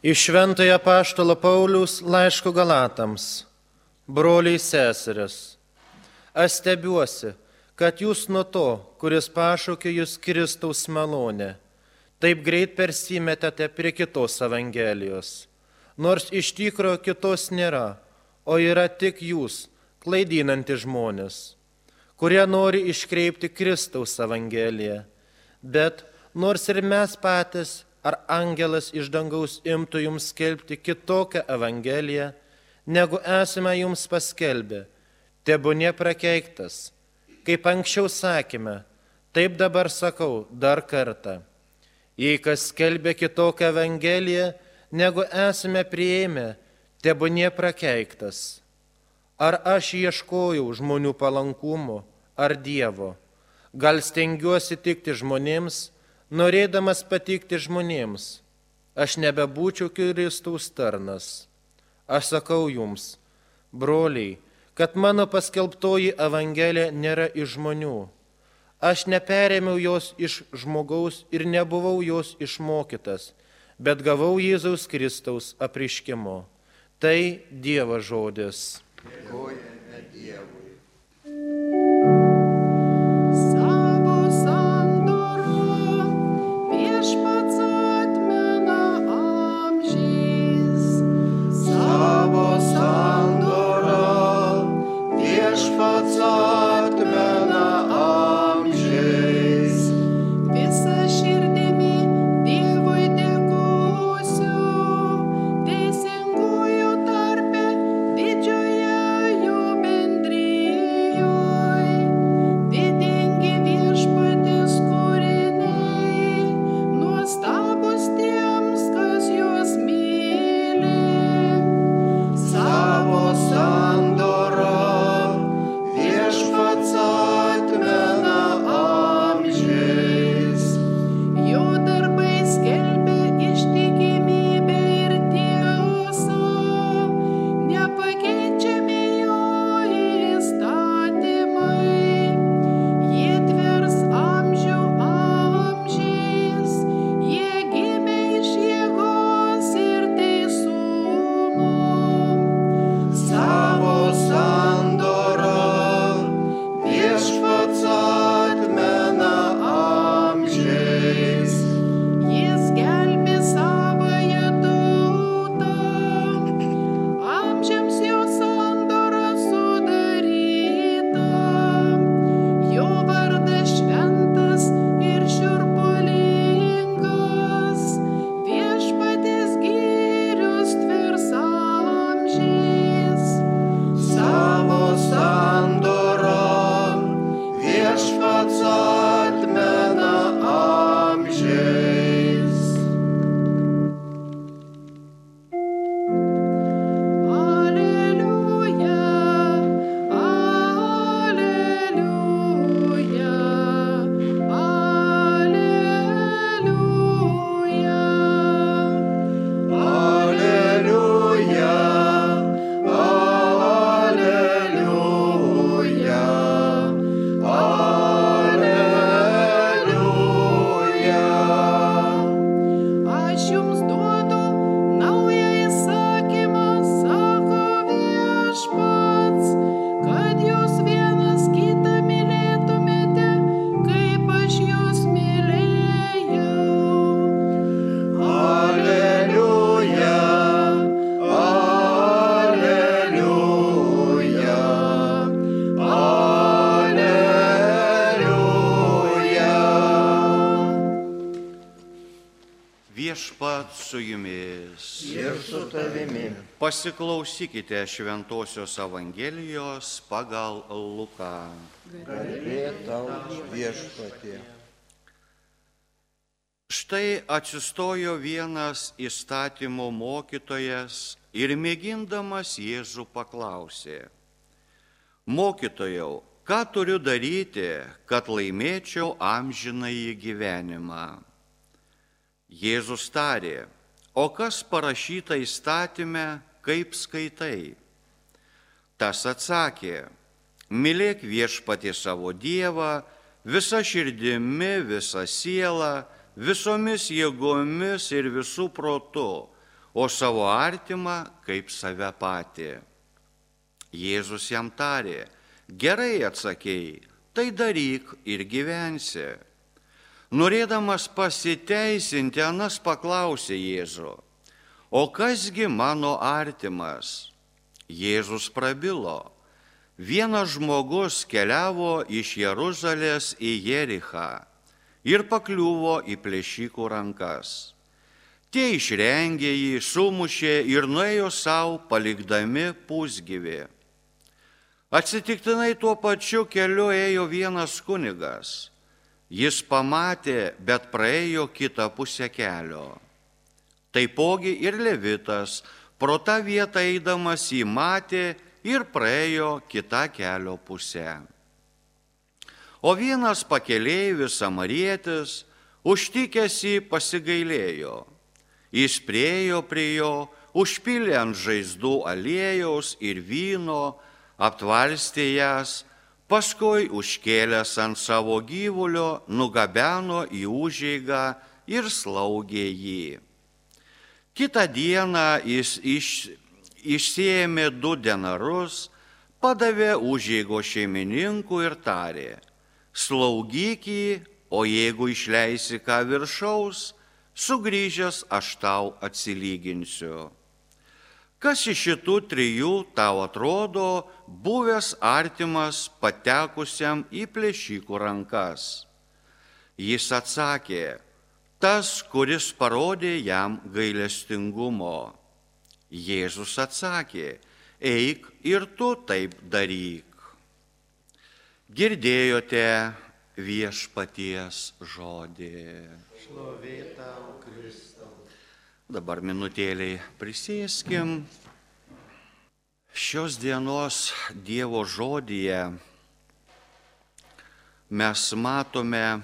Iš Šventojo apaštalo Pauliaus laiško Galatams, broliai seserys, aš stebiuosi, kad jūs nuo to, kuris pašaukė jūs Kristaus malonę, taip greit persimetėte prie kitos evangelijos, nors iš tikro kitos nėra, o yra tik jūs, klaidinantys žmonės, kurie nori iškreipti Kristaus evangeliją, bet nors ir mes patys, ar angelas iš dangaus imtų jums skelbti kitokią evangeliją, negu esame jums paskelbę, tebūnie prakeiktas. Kaip anksčiau sakėme, taip dabar sakau dar kartą. Jei kas skelbė kitokią evangeliją, negu esame priėmę, tebūnie prakeiktas. Ar aš ieškojau žmonių palankumo, ar Dievo? Gal stengiuosi tikti žmonėms, norėdamas patikti žmonėms, aš nebebūčiau Kristaus tarnas. Aš sakau jums, broliai, kad mano paskelbtoji evangelija nėra iš žmonių. Aš neperėmiau jos iš žmogaus ir nebuvau jos išmokytas, bet gavau Jėzaus Kristaus apreiškimo. Tai Dievo žodis. Dėkojame Dievui. Viešpat su jumis. Ir su tavimi. Pasiklausykite Šventosios Evangelijos pagal Luką. Garbė tau, Viešpatie. Štai atsistojo vienas įstatymo mokytojas ir mėgindamas Jėzų paklausė: Mokytojau, ką turiu daryti, kad laimėčiau amžinąjį gyvenimą? Jėzus tarė: O kas parašyta įstatyme, kaip skaitai? Tas atsakė: Mylėk Viešpatį savo Dievą visa širdimi, visa siela, visomis jėgomis ir visų protu, o savo artimą kaip save patį. Jėzus jam tarė, gerai atsakėjai, tai daryk ir gyvensi. Norėdamas pasiteisinti, anas paklausė Jėzų, o kasgi mano artimas? Jėzus prabilo, vienas žmogus keliavo iš Jeruzalės į Jerichą ir pakliuvo į plėšikų rankas. Tie išrengė jį, sumušė ir nuėjo savo, palikdami pusgyvį. Atsitiktinai tuo pačiu keliu ėjo vienas kunigas. Jis pamatė, bet praėjo kitą pusę kelio. Taipogi ir Levitas, pro tą vietą eidamas jį matė ir praėjo kitą kelio pusę. O vienas pakeleivis samarietis, užtikęs jį, pasigailėjo. Jis priėjo prie jo, užpylė ant žaizdų aliejaus ir vyno, aptvarstė jas, paskui užkėlęs ant savo gyvulio, nugabeno į užeigą ir slaugė jį. Kitą dieną jis išsiėmė 2 denarus, padavė užeigos šeimininkui ir tarė, slaugyk jį, o jeigu išleisi ką viršaus, sugrįžęs aš tau atsilyginsiu. Kas iš šitų 3 tau atrodo buvęs artimas patekusiam į plėšikų rankas? Jis atsakė, tas, kuris parodė jam gailestingumo. Jėzus atsakė, eik ir tu taip daryk. Girdėjote viešpaties žodį. Šlovė tau, Kristau. Dabar minutėliai prisėskim. Šios dienos Dievo žodyje mes matome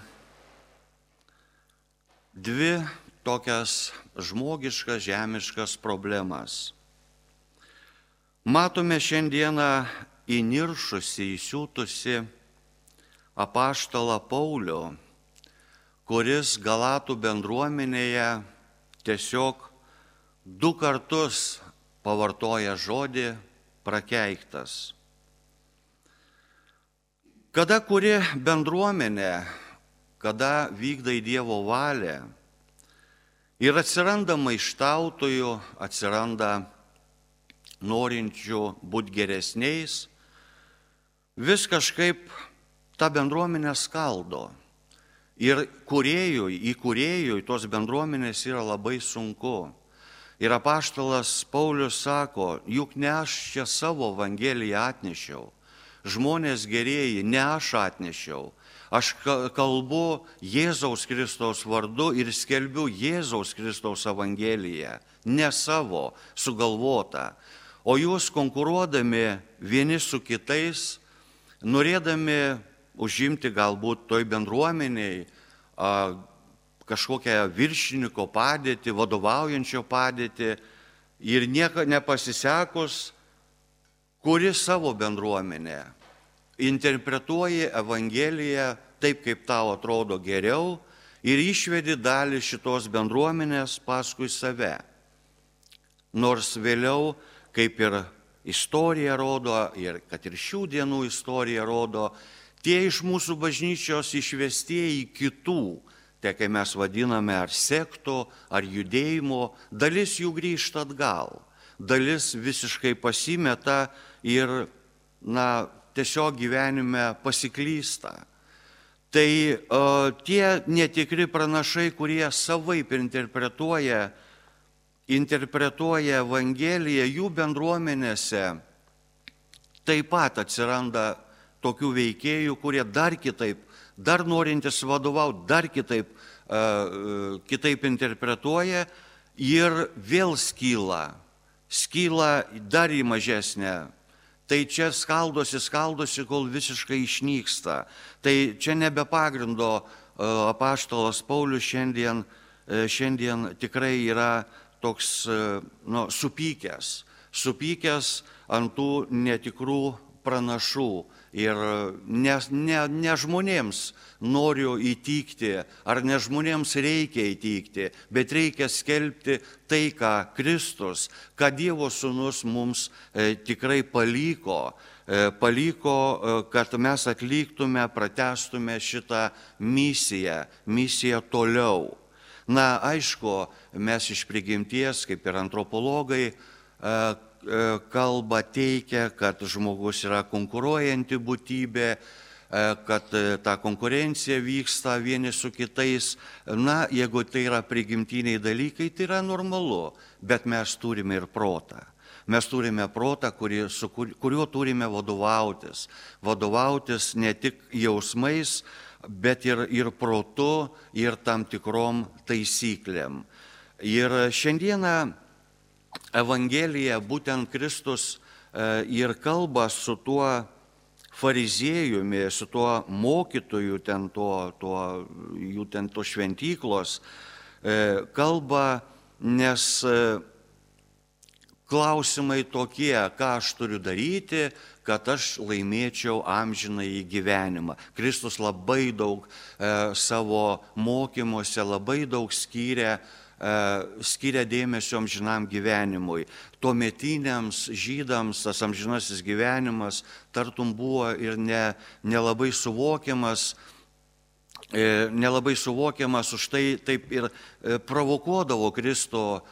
2 tokias žmogiškas, žemiškas problemas. Matome šiandieną įniršusi, įsiūtusi apaštalą Paulių, kuris Galatų bendruomenėje tiesiog 2 kartus pavartoja žodį prakeiktas. Kada kuri bendruomenė, kada vykdai Dievo valią ir atsiranda maištautojų, atsiranda norinčių būti geresniais, vis kažkaip tą bendruomenę skaldo. Ir įkūrėjui tos bendruomenės yra labai sunku. Ir apaštalas Paulius sako, juk ne aš čia savo evangeliją atnešiau, žmonės gerieji, ne aš atnešiau. Aš kalbu Jėzaus Kristaus vardu ir skelbiu Jėzaus Kristaus evangeliją, ne savo sugalvotą. O jūs konkuruodami vieni su kitais, norėdami užimti galbūt toj bendruomeniai kažkokią viršininko padėtį, vadovaujančio padėtį ir nieko nepasisekus, kuri savo bendruomenę interpretuoji Evangeliją taip, kaip tau atrodo geriau ir išvedi dalį šitos bendruomenės paskui save. Nors vėliau, kaip ir istorija rodo, ir kad ir šių dienų istorija rodo, tie iš mūsų bažnyčios išvestieji kitų, tai kai mes vadiname ar sekto, ar judėjimo, dalis jų grįžta atgal, dalis visiškai pasimeta ir, tiesiog gyvenime pasiklysta. Tai tie netikri pranašai, kurie savaip interpretuoja Evangeliją, jų bendruomenėse taip pat atsiranda tokių veikėjų, kurie dar kitaip, dar norintis vadovauti, dar kitaip interpretuoja ir vėl skyla dar į mažesnę. Tai čia skaldosi, kol visiškai išnyksta. Tai čia nebe pagrindo apaštalas Paulius šiandien tikrai yra toks supykęs ant tų netikrų pranašų ir ne žmonėms noriu įtikti, ar ne žmonėms reikia įtikti, bet reikia skelbti tai, ką Kristus, ką Dievo Sūnus mums tikrai paliko, kad mes atliktume, pratęstume šitą misiją toliau. Na, aišku, mes iš prigimties, kaip ir antropologai, kalba teikia, kad žmogus yra konkuruojanti būtybė, kad ta konkurencija vyksta vieni su kitais. Na, jeigu tai yra prigimtiniai dalykai, tai yra normalu, bet mes turime ir protą. Mes turime protą, kuriuo turime vadovautis. Vadovautis ne tik jausmais, bet ir protu, ir tam tikrom taisyklėm. Ir šiandieną Evangelija, būtent Kristus ir kalba su tuo fariziejumi, su tuo mokytoju, jų ten to šventyklos, kalba, nes klausimai tokie, ką aš turiu daryti, kad aš laimėčiau amžinąjį gyvenimą. Kristus labai daug savo mokymuose, labai daug skiria dėmesio amžinam gyvenimui. Tuometiniams žydams tas amžinasis gyvenimas tartum buvo ir nelabai suvokiamas, už tai taip ir provokuodavo Kristų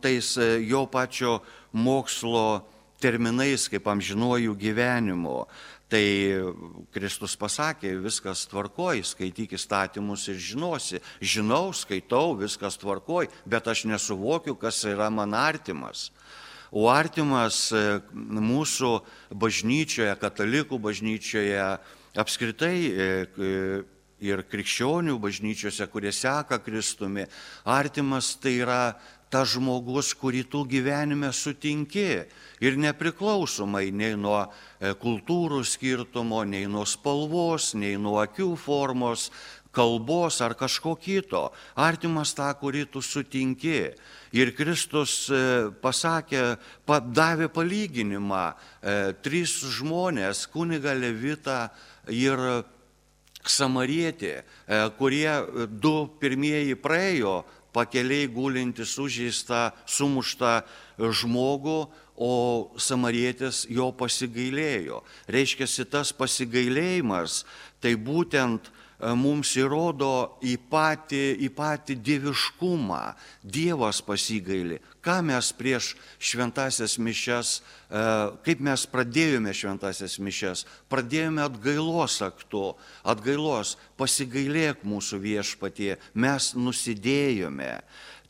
tais jo pačio mokslo terminais kaip amžinuoju gyvenimu. Tai Kristus pasakė, viskas tvarkoj, skaityk įstatymus ir žinosi. Žinau, skaitau, viskas tvarkoj, bet aš nesuvokiu, kas yra man artimas. O artimas mūsų bažnyčioje, katalikų bažnyčioje, apskritai ir krikščionių bažnyčiose, kurie seka Kristumi, artimas tai yra tas žmogus, kurį tu gyvenime sutinki ir nepriklausomai nei nuo kultūrų skirtumo, nei nuo spalvos, nei nuo akių formos, kalbos ar kažko kito. Artimas tą, kurį tu sutinki. Ir Kristus davė palyginimą. 3 žmonės, kunigą, levitą ir samarietį, kurie 2 pirmieji praėjo pakeliai gulinti sužeistą, sumuštą žmogų, o samarietis jo pasigailėjo. Reiškia, tas pasigailėjimas, tai būtent mums įrodo į patį dieviškumą. Dievas pasigaili. Ką mes prieš šventasias mišias, kaip mes pradėjome šventasias mišias? Pradėjome atgailos aktu. Atgailos, pasigailėk mūsų Viešpatie, mes nusidėjome.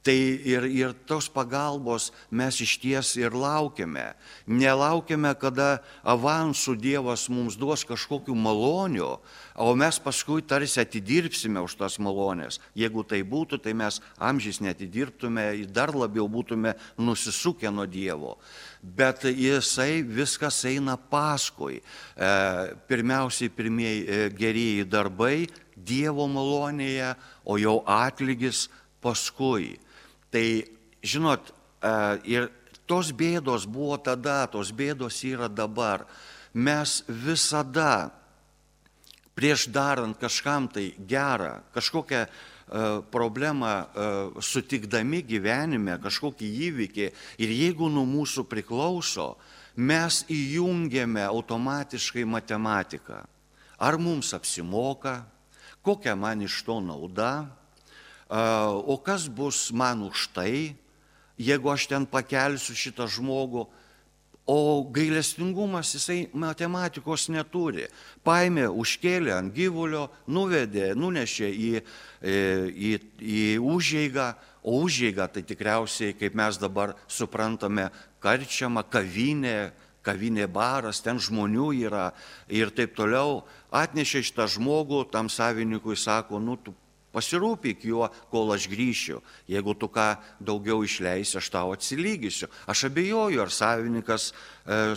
Tai ir tos pagalbos mes išties ir laukiame. Nelaukiame, kada avansų Dievas mums duos kažkokių malonių, o mes paskui tarsi atidirbsime už tas malonės. Jeigu tai būtų, tai mes amžiais neatidirbtume, dar labiau būtume nusisukę nuo Dievo. Bet viskas eina paskui. Pirmiausiai pirmieji gerieji darbai Dievo malonėje, o jau atlygis paskui. Tai, žinot, ir tos bėdos buvo tada, tos bėdos yra dabar. Mes visada, prieš darant kažkam tai gerą, kažkokią problemą sutikdami gyvenime, kažkokį įvykį, ir jeigu nuo mūsų priklauso, mes įjungiame automatiškai matematiką. Ar mums apsimoka, kokia man iš to nauda, o kas bus man už tai, jeigu aš ten pakelsiu šitą žmogų. O gailestingumas, jisai matematikos neturi. Paėmė, užkėlė ant gyvulio, nuvedė, nunešė į užeigą, o užeiga tai tikriausiai, kaip mes dabar suprantame, karčiama, kavinė baras, ten žmonių yra ir taip toliau. Atnešė šitą žmogų, tam savininkui sako, tu pasirūpyk juo, kol aš grįšiu. Jeigu tu ką daugiau išleisi, aš tau atsilygysiu. Aš abejoju, ar savininkas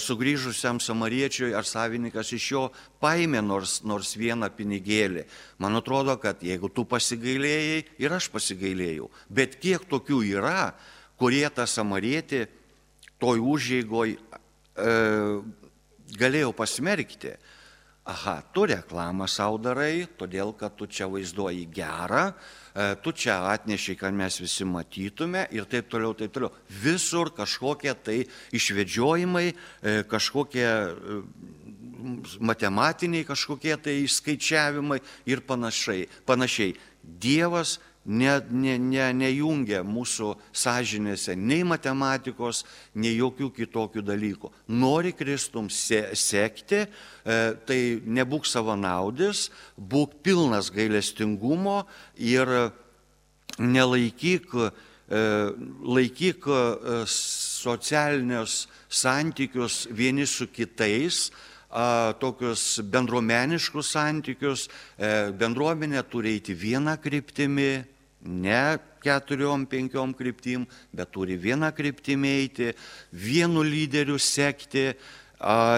sugrįžusiam samariečiui, ar savininkas iš jo paėmė nors vieną pinigėlį. Man atrodo, kad jeigu tu pasigailėjai, ir aš pasigailėjau. Bet kiek tokių yra, kurie tą samarietį toj užeigoj galėjau pasmerkti. Aha, tu reklamą savo darai, todėl kad tu čia vaizduoji gerą, tu čia atnešiai, kad mes visi matytume ir taip toliau, taip toliau. Visur kažkokie tai išvedžiojimai, kažkokie matematiniai, kažkokie tai išskaičiavimai ir panašiai. Dievas nejungia mūsų sąžinėse nei matematikos, nei jokių kitokių dalykų. Nori Kristum sekti, tai nebūk savanaudis, būk pilnas gailestingumo ir laikyk socialinius santykius vieni su kitais, tokius bendruomeniškus santykius. Bendruomenė turi eiti vieną kryptimį, ne 4-5 kryptim, bet turi vieną kryptimį eiti, vienu lyderiu sekti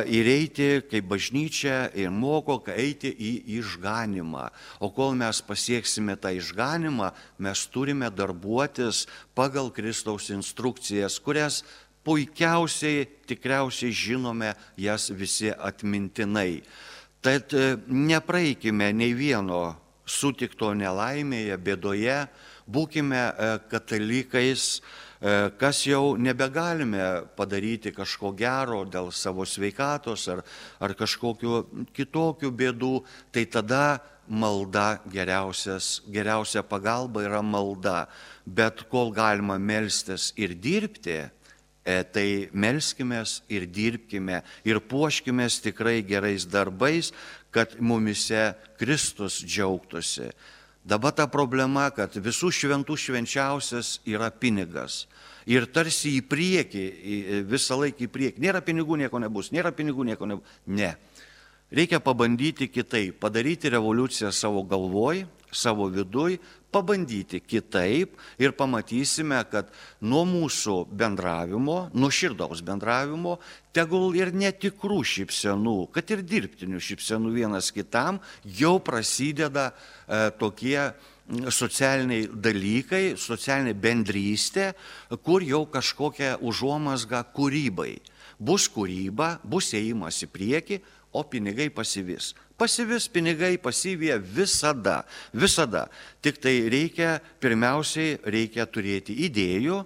ir eiti kaip bažnyčia ir moko eiti į išganimą. O kol mes pasieksime tą išganimą, mes turime darbuotis pagal Kristaus instrukcijas, kurias puikiausiai, tikriausiai žinome jas visi atmintinai. Tad nepraeikime nei vieno sutikto nelaimėje, bėdoje, būkime katalikais, kas jau nebegalime padaryti kažko gero dėl savo sveikatos ar kažkokių kitokių bėdų, tai tada malda geriausia pagalba yra malda. Bet kol galima melstis ir dirbti, tai melskimės ir dirbkime ir puoškimės tikrai gerais darbais, kad mumise Kristus džiaugtųsi. Dabar ta problema, kad visų šventų švenčiausias yra pinigas. Ir tarsi į priekį, visą laiką į priekį. Nėra pinigų, nieko nebus, nėra pinigų, nieko nebus. Ne. Reikia pabandyti kitaip, padaryti revoliuciją savo galvoj, savo viduj, pabandyti kitaip ir pamatysime, kad nuo mūsų bendravimo, nuo širdaus bendravimo, tegul ir netikrų šypsenų, kad ir dirbtinių šypsenų vienas kitam, jau prasideda tokie socialiniai dalykai, socialinė bendrystė, kur jau kažkokia užuomazga kūrybai. Bus kūryba, bus ėjimas į priekį, o pinigai pasivis. Pasivis pinigai pasivyja visada. Tik tai pirmiausiai reikia turėti idėjų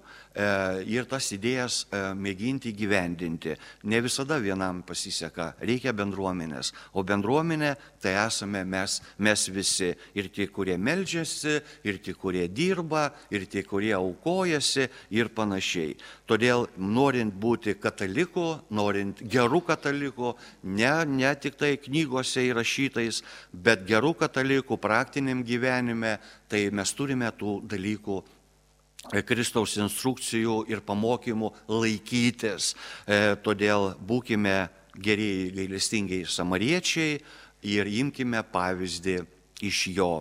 ir tas idėjas mėginti gyvendinti. Ne visada vienam pasiseka, reikia bendruomenės. O bendruomenė tai esame mes visi. Ir tie, kurie meldžiasi, ir tie, kurie dirba, ir tie, kurie aukojasi ir panašiai. Todėl norint būti kataliku, norint gerų katalikų, ne tik tai knygose įrašytais, bet gerų katalikų praktiniam gyvenime, tai mes turime tų dalykų Kristaus instrukcijų ir pamokymų laikytis. Todėl būkime gerieji gailestingiai samariečiai ir imkime pavyzdį iš jo.